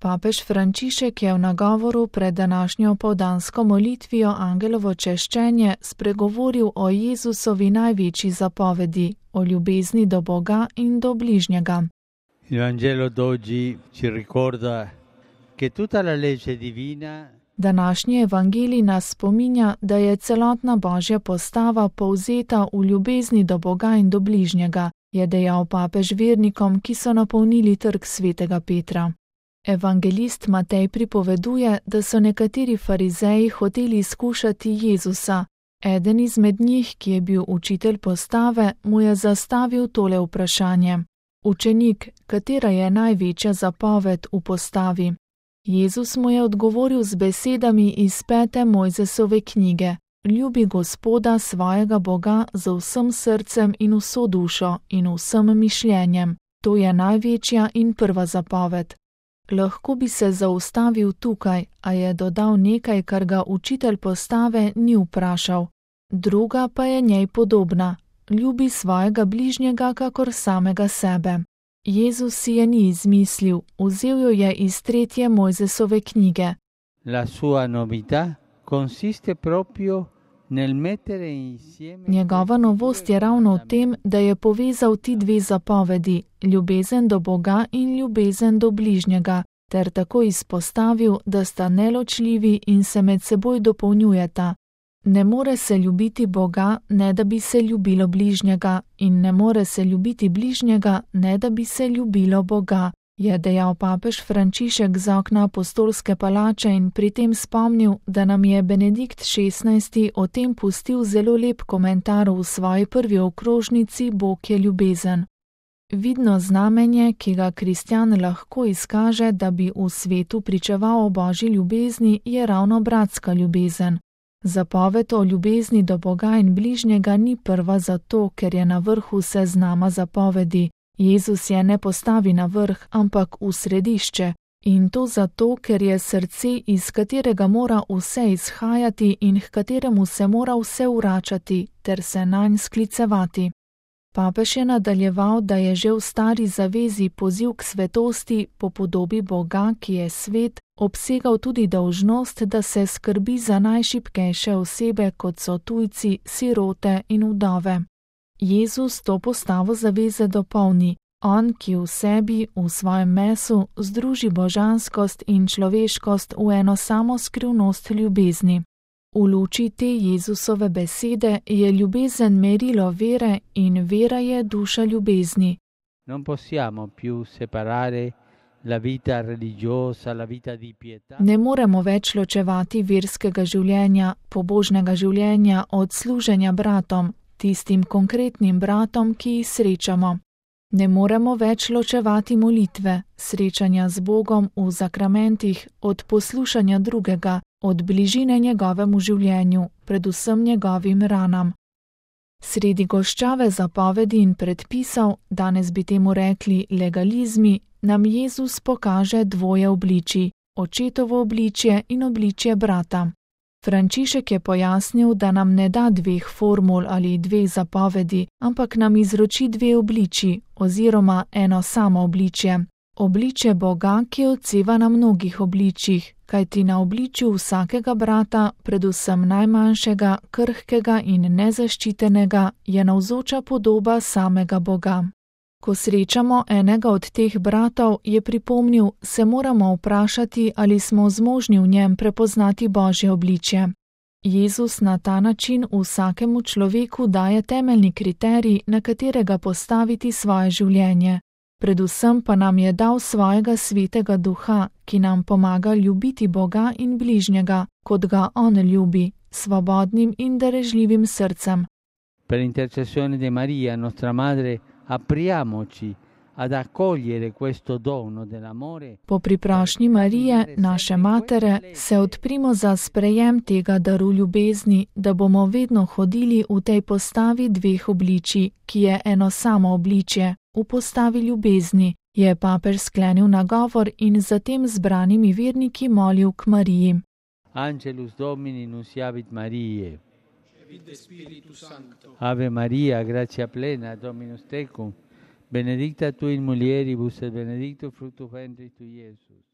Papež Frančišek je v nagovoru pred današnjo opoldansko molitvijo Angelovo češčenje spregovoril o Jezusovi največji zapovedi, o ljubezni do Boga in do bližnjega. Il Vangelo d'oggi ci ricorda che tutta la legge divina. Današnji evangelij nas spominja, da je celotna Božja postava povzeta v ljubezni do Boga in do bližnjega, je dejal papež vernikom, ki so napolnili trg svetega Petra. Evangelist Matej pripoveduje, da so nekateri farizeji hoteli skušati Jezusa. Eden izmed njih, ki je bil učitelj postave, mu je zastavil tole vprašanje: Učenik, katera je največja zapoved v postavi? Jezus mu je odgovoril z besedami iz 5. Mojzesove knjige: Ljubi Gospoda svojega Boga z vsem srcem in vso dušo in vsem mišljenjem. To je največja in prva zapoved. Lahko bi se zaustavil tukaj, a je dodal nekaj, kar ga učitelj postave ni vprašal. Druga pa je njej podobna: ljubi svojega bližnjega kakor samega sebe. Jezus si je ni izmislil, vzel jo je iz 3. Mojzesove knjige. La sua novità consiste proprio nel mettere insieme. Njegova novost je ravno v tem, da je povezal ti dve zapovedi, ljubezen do Boga in ljubezen do bližnjega, ter tako izpostavil, da sta neločljivi in se med seboj dopolnjujeta. Ne more se ljubiti Boga, ne da bi se ljubilo bližnjega, in ne more se ljubiti bližnjega, ne da bi se ljubilo Boga, je dejal papež Frančišek z okna apostolske palače in pri tem spomnil, da nam je Benedikt XVI o tem pustil zelo lep komentar v svoji prvi okrožnici Bog je ljubezen. Vidno znamenje, ki ga kristjan lahko izkaže, da bi v svetu pričeval o Božji ljubezni, je ravno bratska ljubezen. Zapoved o ljubezni do Boga in bližnjega ni prva zato, ker je na vrhu seznama zapovedi. Jezus je ne postavi na vrh, ampak v središče. In to zato, ker je srce, iz katerega mora vse izhajati in h kateremu se mora vse vračati, ter se nanj sklicevati. Papež je nadaljeval, da je že v stari zavezi poziv k svetosti po podobi Boga, ki je svet, obsegal tudi dolžnost, da se skrbi za najšibkejše osebe, kot so tujci, sirote in vdove. Jezus to postavo zaveze dopolni. On, ki v sebi, v svojem mesu, združi božanskost in človeškost v eno samo skrivnost ljubezni. V luči te Jezusove besede je ljubezen merilo vere in vera je duša ljubezni. Non possiamo più separare la vita religiosa, la vita di pietà. Ne moremo več ločevati verskega življenja, pobožnega življenja od služenja bratom, tistim konkretnim bratom, ki jih srečamo. Ne moremo več ločevati molitve, srečanja z Bogom v zakramentih, od poslušanja drugega, od bližine njegovemu življenju, predvsem njegovim ranam. Sredi goščave zapovedi in predpisov, danes bi temu rekli legalizmi, nam Jezus pokaže dvoje obličij, očetovo obličje in obličje brata. Frančišek je pojasnil, da nam ne da dveh formul ali dveh zapovedi, ampak nam izroči dve obličji oziroma eno samo obličje. Obličje Boga, ki odseva na mnogih obličjih, kajti na obličju vsakega brata, predvsem najmanjšega, krhkega in nezaščitenega, je navzoča podoba samega Boga. Ko srečamo enega od teh bratov, je pripomnil, se moramo vprašati, ali smo zmožni v njem prepoznati Božje obličje. Jezus na ta način vsakemu človeku daje temeljni kriterij, na katerega postaviti svoje življenje. Predvsem pa nam je dal svojega svetega duha, ki nam pomaga ljubiti Boga in bližnjega, kot ga on ljubi, svobodnim in darežljivim srcem. Per intercessione di Maria, nostra madre, apriamoci ad accogliere questo dono dell'amore. Po priprošnji Marije, naše matere, se odprimo za sprejem tega daru ljubezni, da bomo vedno hodili v tej postavi dveh obličij, ki je eno samo obličje, v postavi ljubezni, je papež sklenil nagovor in zatem zbranimi verniki molil k Mariji. Angelus Domini nunciavit Mariae. Ave Maria, gratia plena, Dominus tecum, benedicta tu in mulieribus et benedictus fructus ventris tui, Iesus.